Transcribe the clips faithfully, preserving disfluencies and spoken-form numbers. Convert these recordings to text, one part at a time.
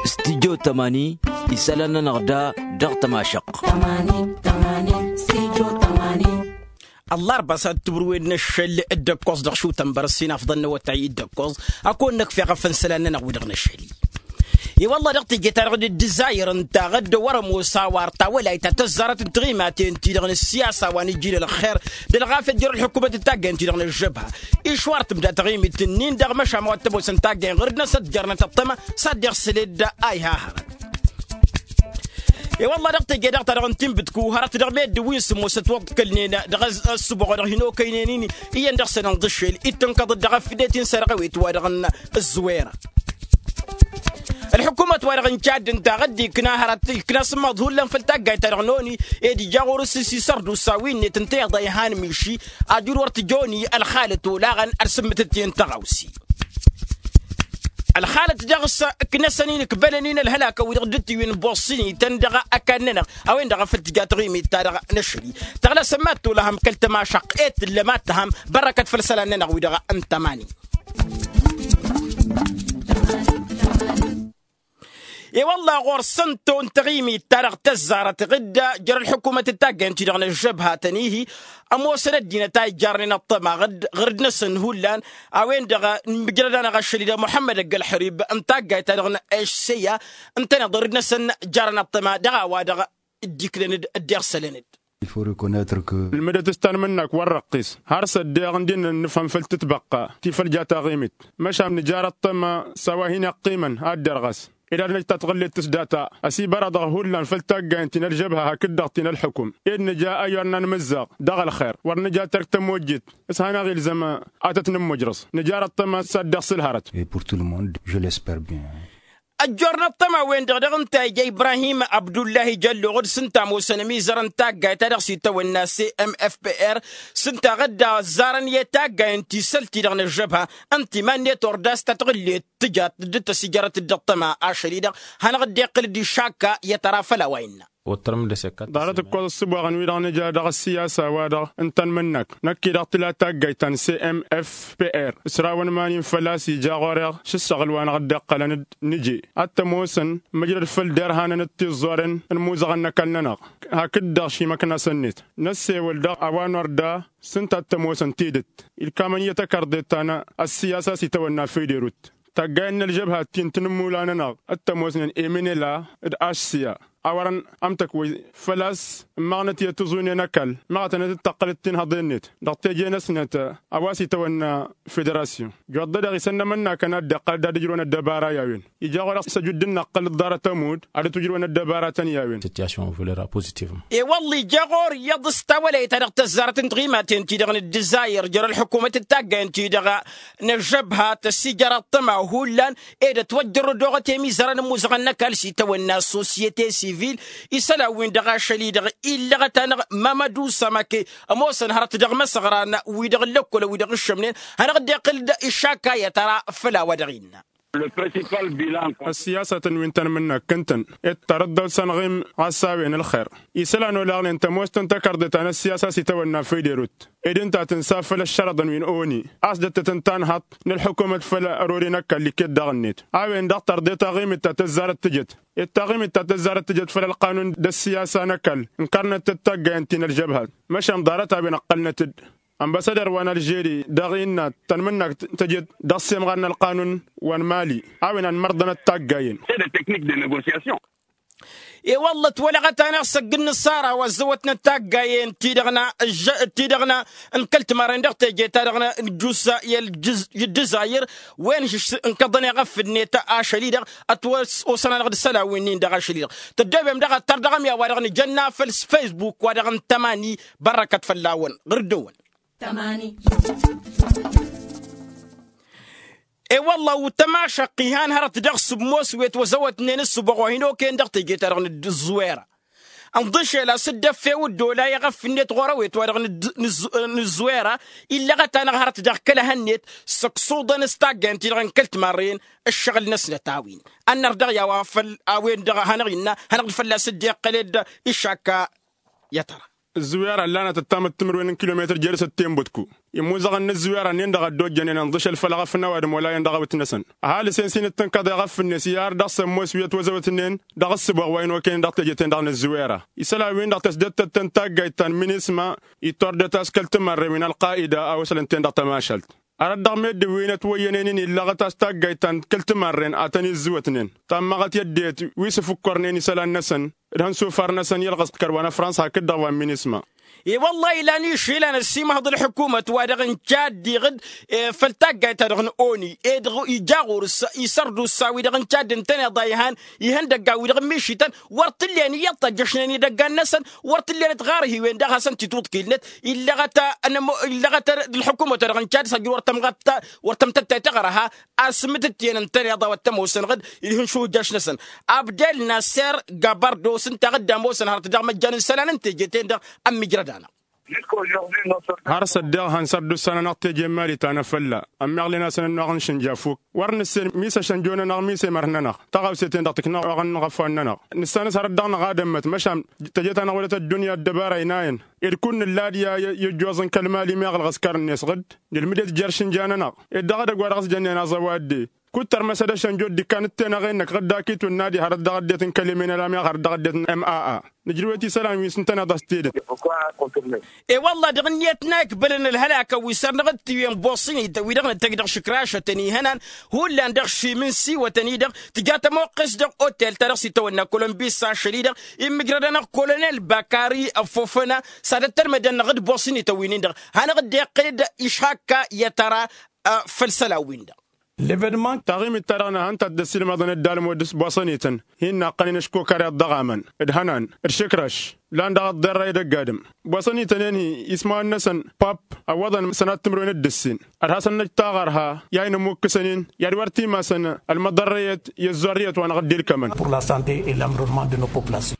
Studio tămani. Isălan-nănăɣ da dăɣ-tămašăqq. Ăllarba s-ad-tǝwrǝwen n-ašăl d-ǝkkoẓ dăɣ-šutăn bărăssin afḍăn n-awătay d-ǝkkoẓ. Ad-kăwăn-năkf i-ɣăfăn isălan-nănăɣ wi-dăɣ n-ašăl-i. I-wălla dăɣ-teje-ta-dăɣ d-ǝzzayăr ǝnta ɣǝdd wăr-ămoos a-wa ărtawălayt ta tăzzarăt n-tiɣimaten-ti-dăɣ n-ǝssiyasa wa n-ijil ălxer d-ălɣafyăt jer-ălḥukumăt d-taggayăn-ti-dăɣ n-ăžžăbha. Išwar tǝbda taɣimit-nin-dăɣ măšan wa t-ămoosăn taggayăn ɣur-dd-năsăn ătjarnăt ăṭṭăma s-ad-dd-iɣsǝled a iha hărăt. I-wălla dăɣ-teje-dăɣ-ta-dăɣ n-tinbǝtku hărăt dăɣ-meddǝn wi n-sǝmmosăt wăḍkălnen dăɣ-ăssuboɣ wa dăɣ-hin-okăynen-in iyyăn dăɣ-săn ǝnḍǝššel. Ittǝnkăḍ-dd dăɣ-afdet-in s-ărɣăwet wa dăɣ-n ǝzzwera. Ălḥukumăt wa dăɣ-n cadd ǝnta a ɣǝdd-ikna hărăt ikna asǝmmaḍ hullan făll-taggayt-ta-dăɣ n-oni ed ija ɣur-s s-isărdusa wi-net ǝnta iḍa ihan miši ajǝl wăr tǝjoni ălxalăt olaɣăn ad-sǝmmǝtăt i-ǝnta ɣawsi. Ălxalăt dăɣ-s ǝknăsăn-in ǝkbălăn-in ălhălakăn wi-dăɣ dd-tiwǝyăn boṣṣin-ităn dăɣ-ăkall-nănăɣ a-wen-dăɣ a făl tǝja taɣimit-ta-dăɣ n-ašăl-i. Tăɣlăsăn mad-tolăhăm kăl-tămašăqq ed tǝllăm ad-tăhăm bărrăkăt făll-isălan-nănăɣ wi-dăɣ n-tămani. I-wălla ɣur-săn ton taɣimit-ta-dăɣ tăzzarăt ɣǝdda jer-ălḥukumăt d-taggayăn-ti-dăɣ n-ăžžăbha tăn-ihi ămoosăn ăddinăt a ijjarnen ăṭṭăma ɣǝdd ɣur-dd-năsăn hullan. A-wen-dăɣ n-imǝjrăd-anăɣ ašăl-i-dăɣ muḥămmăd ăgg-ălḥărib n-taggayt-ta-dăɣ n-eššeya ǝntăneḍ ɣur-dd-năsăn jarăn ăṭṭăma dăɣ-a-wa-dăɣ dd-iknăn-dd dd-iɣsălăn-dd. Ǝlmǝdăt s-tanmǝnnak wăr răqqis har s-ăddeɣ ǝndin n-nǝfhăm făll-tǝtbăqqa ti făll-ja taɣimit. Măšan nǝjar ăṭṭăma s-a-wa hin-iqqimăn ad-derɣăs ed ad-năj tatɣǝllet s-data ăsibărăḍăɣ hullan făll-taggayăn ti n-ălžăbha hakd-dăɣ ti n-ălḥukum ed nǝja ăyyor n-anmǝzzaɣ dăɣ-ălxer wăr nǝja terk tămojjit. S-hanăɣ-ilzăm ad-tăt-nǝmmujrăẓ nǝjar ăṭṭăma s-ad-dăɣ-s ǝlhărăt. Et pour tout le monde, je l'espère bien. Ăjjoornăt tăma-wen-dăɣ dăɣ-ǝnta ija ibrahim abdullahi jălloɣ d-s ǝnta ămoosăn ămizăr n-taggayt ta dăɣ-s itawănna cmfpr. S-ǝnta ɣǝdda ăzzarăn i-taggay n-tisălt-ti-dăɣ n-ăžžăbha ǝnta iman-net ordas tatɣǝllet tǝjat dd-tăsijărăt dd-ăṭṭăma ašăl-i-dăɣ hanăɣ-dd-iqqǝl-dd išakka i-tăra făll-a-wa innă. Ḍarăt ǝkkoẓ ǝssǝboɣăn-wi-dăɣ nǝja dăɣ-ăssiyasa-wa-dăɣ n-tanmǝnnak năkk-i-dăɣ tǝla taggayt ta n-cmfpr ǝsrawăn iman-in făl-a-s ija ɣur-eɣ šǝssăɣǝl wa năɣ-dd-iqqălăn d-nǝje ad-t-ămoosăn măjrăd făll-derhanăn d-tiẓẓoren n-imuzăɣăn n-ăkall-nănăɣ. Hakd-dăɣ šimăknas-net năssewăl dăɣ-a-wa n-orda s-ǝnta a t-ămoosăn tidǝt ilkamăn i-tăkărḍet ta n-ăssiyasa s-itawănna federut. Taggayen n-ălžăbha ti n-tinǝmmula-nănăɣ t-ămoosnen emenela d-ašsiya a wărăn ămtăkwăy făl-a-s ǝmmăɣnăt i-tiẓune n-ăkall măɣătănăt d-tăqqălăt tinhăḍe-net dăɣ-teje-năsnăt. A-wa s-itawănna federasyon juwăḍḍa-dăɣ isănnămănna kăn ad-dd-iqqăl d-ad-ǝjrǝwăn ăddăbara i-a-wen. Ija ɣur-eɣ s-ăjudden năqqăl ǝḍḍarăt ămudd ad-ǝtwǝjrǝwăn ăddăbara-tăn i-a-wen. Situation evoluera positivement. E-wălla ija ɣur-i iyyăḍ s-tawălăyt-ta-dăɣ tăzzarăt n-tiɣimaten-ti-dăɣ n-ǝddǝzayăr jer-ălḥukumăt d-taggayăn-ti-dăɣ n-ăžžăbha tăsijăr ăṭṭăma hullan ed ătwăjjăr ădoɣăt i-imizărăn n-imuzăɣăn n-ăkall s-itawănna sosyete sivil. Isălan-win-dăɣ ašăl-i-dăɣ illăɣăt-anăɣ mamădu samake ămoosăn hărăt dăɣ-imăsăɣran-wi-dăɣ n-lăkkol wi-dăɣ ǝššămnen hanăɣ-dd-iqqǝl-dd išakka i-tăra făll-a-wa dăɣ-innă. Ăssiyasătăn wi n-tanmǝnnak ǝntăn ed tarǝḍḍăwt s-anɣim ɣas a-wen ălxer. Isălan olaɣnen tămoos-tăn takărḍet ta n-ăssiyasa s-itawănna federut ed ǝnta tǝnsa făll-ăššărăḍăn wi n-oni a-s dd-tăt-ǝnta ănhăḍ n-ălḥukumăt făll-ărori n-ăkall iket daɣ-net. A-wen-dăɣ tărḍe taɣimit ta tăzzarăt tǝjăt ed taɣimit ta tăzzarăt tǝjăt făll-ălqanun d-ăssiyasa n-ăkall ǝnkărnăt-dd taggayăn ti n-ălžăbhat. Măšan ḍarăt a-wen ǝqqălnăt-dd ănbăsăder wa n-ălžeri dăɣ-innă tănmǝnnak tăjet dăɣ-semɣar n-ălqanun wa n-mali a-wen ănmărḍănăt taggayen. E-wălla ătwălăɣăt-anăɣ s-ăgg-ǝnnǝṣṣara wa ăzzăwătnăt taggayen ti-dăɣ n-a ăžža ti-dăɣ n-a n-kăl-timarren dăɣ-teje-ta-dăɣ n-ǝjjus i-ălj ǝddǝzayăr wen šǝš ǝnkăḍăn i-iɣăf-net ašăl-i-dăɣ ătwăs-osăn-anăɣ d-isălan-wi-nin-dăɣ ašăl-i-dăɣ. Tăddoobem daɣ ăttăr dăɣ-emyawa-dăɣ nǝjănna făll-facebook-wa-dăɣ n-tămani. Bărrăkăt fălla-wăn ɣur-dd-ewăn. E-wălla wǝtăm ašăqqi han hărăt dăɣ-sǝmmos wi ătwăzăwătnen ǝssǝboɣ wa hin-okăyăn dăɣ-teje-ta-dăɣ n-ǝzzwera. Ǝnḍǝšel a-s dd-ăffew ǝddola i-iɣăf-net ɣur-ăwet-wa-dăɣ n-ǝzzwera. Illăɣăt-anăɣ hărăt dăɣ-kăl-ehăn-net săksuḍăn s-taggayăn-ti-dăɣ n-kăl-timarren ǝššăɣǝl-năsnăt a-wen. Ad-nărdăɣ i-a-wa făll-a-wen-dăɣ a hanăɣ-innă hanăɣ-dd fălla-s dd-iqqăl ed išakka. I-ad-tăra. Ǝzzǝwera ǝllanăt ăttamăt timǝrwen n-kilometăr jer-s ăttenbătku. immuzăɣăn n-ǝzzǝwera-nen-dăɣ a dd-ojjănen ănḍǝšăl făll-eɣăf n-ăwadǝm wăla iyyăn dăɣ-awǝtnăsăn. Ăhalǝs-en s-in-ǝttǝnkăḍ eɣăf-net i-ar dăɣ-sămmos wi ătwăzăwătnen dăɣ-ǝssǝboɣ wa ănokăynen dăɣ-teje-ten-dăɣ n-ǝzzǝwera. Isălan-win-dăɣ tăsdăttăt-tăn taggayt ta n-minisma ittordăt a-s kăl-timărren wi n-ălqayida a wăslăn-ten dăɣ-tămašalt. Arăt dăɣ-meddǝn wi n-ătwăyyănen-in illăɣăt a-s taggayt ta n-kăl-timărren a tăn-izzǝwătnen tammăɣăt i-ăddinăt wi s-ǝfǝkkărnen isălan-năsăn d-ihănsufar-năsăn i-ălɣăs d-kăl-wa n-ăfrănsa hakd-dăɣ wa n-minisma. E-wălla-hi lan išilăn ăssiimăhăḍ ălḥukumăt wa dăɣ-ǝncad diɣǝd făll-taggayt-ta-dăɣ n-oni ed ija ɣur-s isărdusa-wi-dăɣ ǝncad ǝntăneḍ a ihan ihăndăggan-wi-dăɣ ǝmmišităn wăr t-ǝllen iyyăḍ tăjjăšnen idăggan-năsăn wăr t-ǝllen ătɣarhiwen daɣ hasăn-t-ituḍkilnăt. Illăɣăt d-ălḥukumăt wa dăɣ-ǝncad s-ajǝr wăr tămɣăt wăr tămtăttayt aɣărha asmǝtǝttǝyăn ǝntăneḍ a-wa t-ămoosăn ɣǝd-i d-ihǝnšuhǝjjaš-năsăn abdel naser gabardo s-ǝnta a ɣǝdda ămoosăn hărăt dăɣ-măjjan n-isălan n-teje-ten-dăɣ ămmijrăd-anăɣ. Har s-ăddeɣ han săr d-ussan-anăɣ teje n-mali tanăfălla ămmiɣlen-asăn ănnuɣ n-išǝnja fuk wăr nǝssen mi s-ăššănjo-nănăɣ mi s-emăr-nănăɣ tăɣawse-ten-dăɣ tǝknăɣ oɣăn n-iɣăfwan-nănăɣ. Nǝssan-s hărăt dăɣ-năɣ ad-ămmăt măšan teje-ta-năɣ wălăt ăddunya ăddăbara inayăn ed kull nǝlla ad-i-ăjjoẓ n-kăl-mali meɣ ălɣăskar-net ɣǝd nǝlmǝd-et jer-išǝnja-nănăɣ ed dăɣ-edăgg wa dăɣ-s jănnen aẓăwadde. Kud-tărmăs ad-ăššănjo dd-ikkan d-tenăɣe-năk ɣǝd d-akitun n-ad-ihărăt dăɣ-ăddinăt n-kăl-emen ălamyaɣ hărăt dăɣ-ăddinăt n-maa. Nǝjrǝwet isălan wi s-ǝntăneḍ a-s tidǝt. E-wălla-ɣ dăɣ-ǝnniyăt n-a ikbălăn ălhălakăn wi săr-năɣ d-tiwǝyăn boṣinităn wi-dăɣ nǝtăjj dăɣ-išǝkrašătăn ihănan hullan dăɣ-išim n-siwătăn-i-dăɣ tǝja tămoqqes dăɣ-otel-ta-dăɣ s-itawănna kolombis s-ašăl-i-dăɣ immǝjrăd-anăɣ kolonel bakari ăffofăna s-ad-ăttălmădăn-năɣ d-boṣinităn wi-nin-dăɣ. Hanăɣ-dd-iqqed išhakka i-ad-tăra făll-isălan-win-dăɣ. Levănmant taɣimit-ta-dăɣ n-ad-hăn-tăt-dd-ăssiilmăḍăn dd-almud s-boṣănităn hin-naqqănen ǝškokar iḍăɣamăn d-hănan d-išǝkrăš lan dăɣ-ăḍḍerrăy d-ăgg-adǝm. Boṣănităn-en-hi ismawăn-năsăn pap ăwwăḍăn sănat timǝrwen d-ǝssin ad-hasăn-năj taɣărha i-a inămukkǝsăn-in i-ad-wăr t-imasăn ălmăḍărrăyăt i-ăzzoarrăyăt-wa-năɣ dd-ilkămăn. Pur la sante et l-amrănman de nos populations.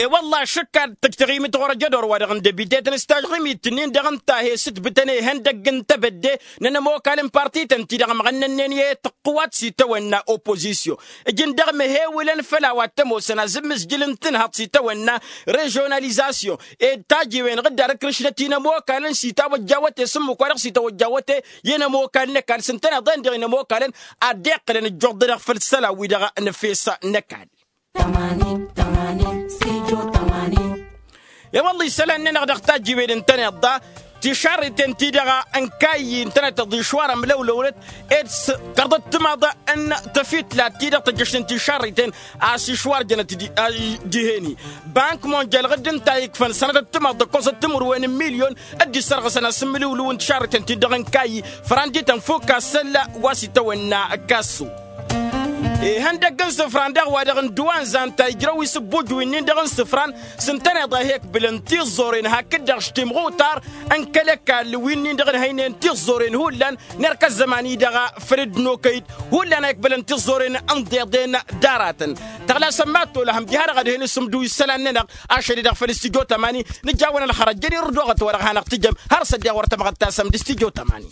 E-wălla-ɣ šǝkka tǝjj taɣimit ɣur-ăjădor-wa-dăɣ n-debite-tăn s-tažɣimit-nin-dăɣ ǝnta a he-sǝtbǝtăn ihăndăgg n-tebădde n-ănămokal n-parti-tăn-ti-dăɣ ămɣănnănnen i-tăqqǝwat s-itawănna oppozisyon. Ǝjǝn dăɣ-măhewǝlăn făll-a-wa t-ămoosăn azǝmmǝzjǝl n-tǝnhăḍt s-itawănna režionalizasyon ed tajiwen ɣǝdda d-ǝkrǝšnăt i-inămokalăn s-itawăjja wăte s-ǝmmǝk-wa-dăɣ s-itawăjja wăte i-inămokal n-ăkall s-ǝntăneḍ-en-dăɣ inămokal-ănn ad-dd-iqqǝlăn ǝjjuḍ-dăɣ făll-isălan-wi-dăɣ n-efes n-ăkall. E-wălla isălan-nănăɣ dăɣ-tajjiwen ǝntăneḍ-ta tišarriten-ti-dăɣ n-kayy ǝntăneḍ-tăḍ išwar ămlăwlăwlăt ed s-kărdăt timaḍa n-tafitlat-ti-dăɣ tăjjăšnen tišarriten a-s išwar jănăt dihen-i. Bank monjal ɣǝdd ǝnta a ikfăn sănătăt timaḍa ǝkkoẓăt timǝrwen n-milyon dd-issărɣǝsăn asǝmmǝlǝwlǝw n-tišarriten-ti-dăɣ n-kayy făran d-itănfuk asălla wa s-itawănna ăkkasso. Ihăndăgg n-isǝfran daɣ wa dăɣ-n duwanza ǝnta ijrăw isǝbbuj wi-nin-dăɣ n-isǝfran s-ǝntăneḍ a he-ǝkbǝlăn tiẓẓoren hakd-dăɣ š-timɣutar n-kăl-ăkall wi-nin-dăɣ ǝnhăynen tiẓẓoren hullan n-erk ăzzăman-i-dăɣ. Făll-dd-nokăyt hullan a ikbălăn tiẓẓoren n-iḍeḍen d-aratăn. Tăɣlasăn mad-tolăhăm diha-dăɣ ad-hin-isǝmdǝw isălan-nănăɣ ašăl-i-dăɣ făll-istijjo tămani. Nǝjawăn ălxărăt jăn irǝdoɣăt wa dăɣ-hanăɣ-tǝjăm har s-ăddiɣ wăr tămɣăttasăm d-istijjo tămani.